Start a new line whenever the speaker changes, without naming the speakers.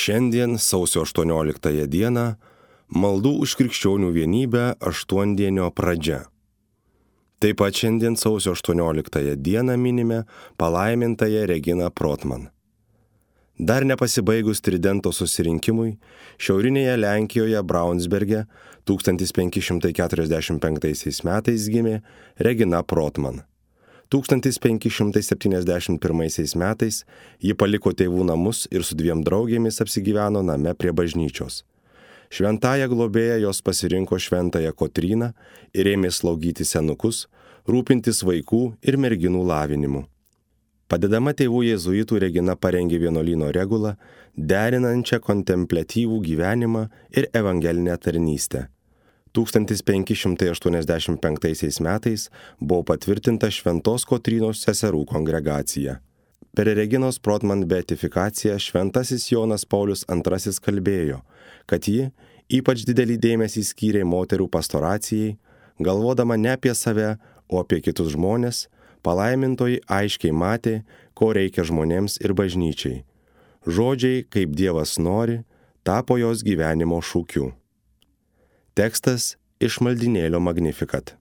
Šiandien, sausio 18 dieną, maldų už krikščionių vienybę aštuondienio pradžia. Taip pat šiandien, sausio 18 dieną, minime palaimintąją Reginą Protman. Dar nepasibaigus Tridento susirinkimui, šiaurinėje Lenkijoje Braunsberge 1545 metais gimė Regina Protman. 1571 metais ji paliko tėvų namus ir su 2 draugėmis apsigyveno name prie bažnyčios. Šventąją globėją jos pasirinko šventąją Kotryną ir ėmė slaugyti senukus, rūpintis vaikų ir merginų lavinimu. Padedama tėvų jėzuitų Regina parengė vienuolyno regulą, derinančią kontempliatyvų gyvenimą ir evangelinę tarnystę. 1585 metais buvo patvirtinta Šventos Kotrynos seserų kongregacija. Per Reginos Protman beatifikaciją šventasis Jonas Paulius II kalbėjo, kad ji ypač didelį dėmesį skyrė moterų pastoracijai, galvodama ne apie save, o apie kitus žmonės. Palaimintoji aiškiai matė, ko reikia žmonėms ir bažnyčiai. Žodžiai, kaip Dievas nori, tapo jos gyvenimo šūkiu. Tekstas iš maldynėlio Magnificat.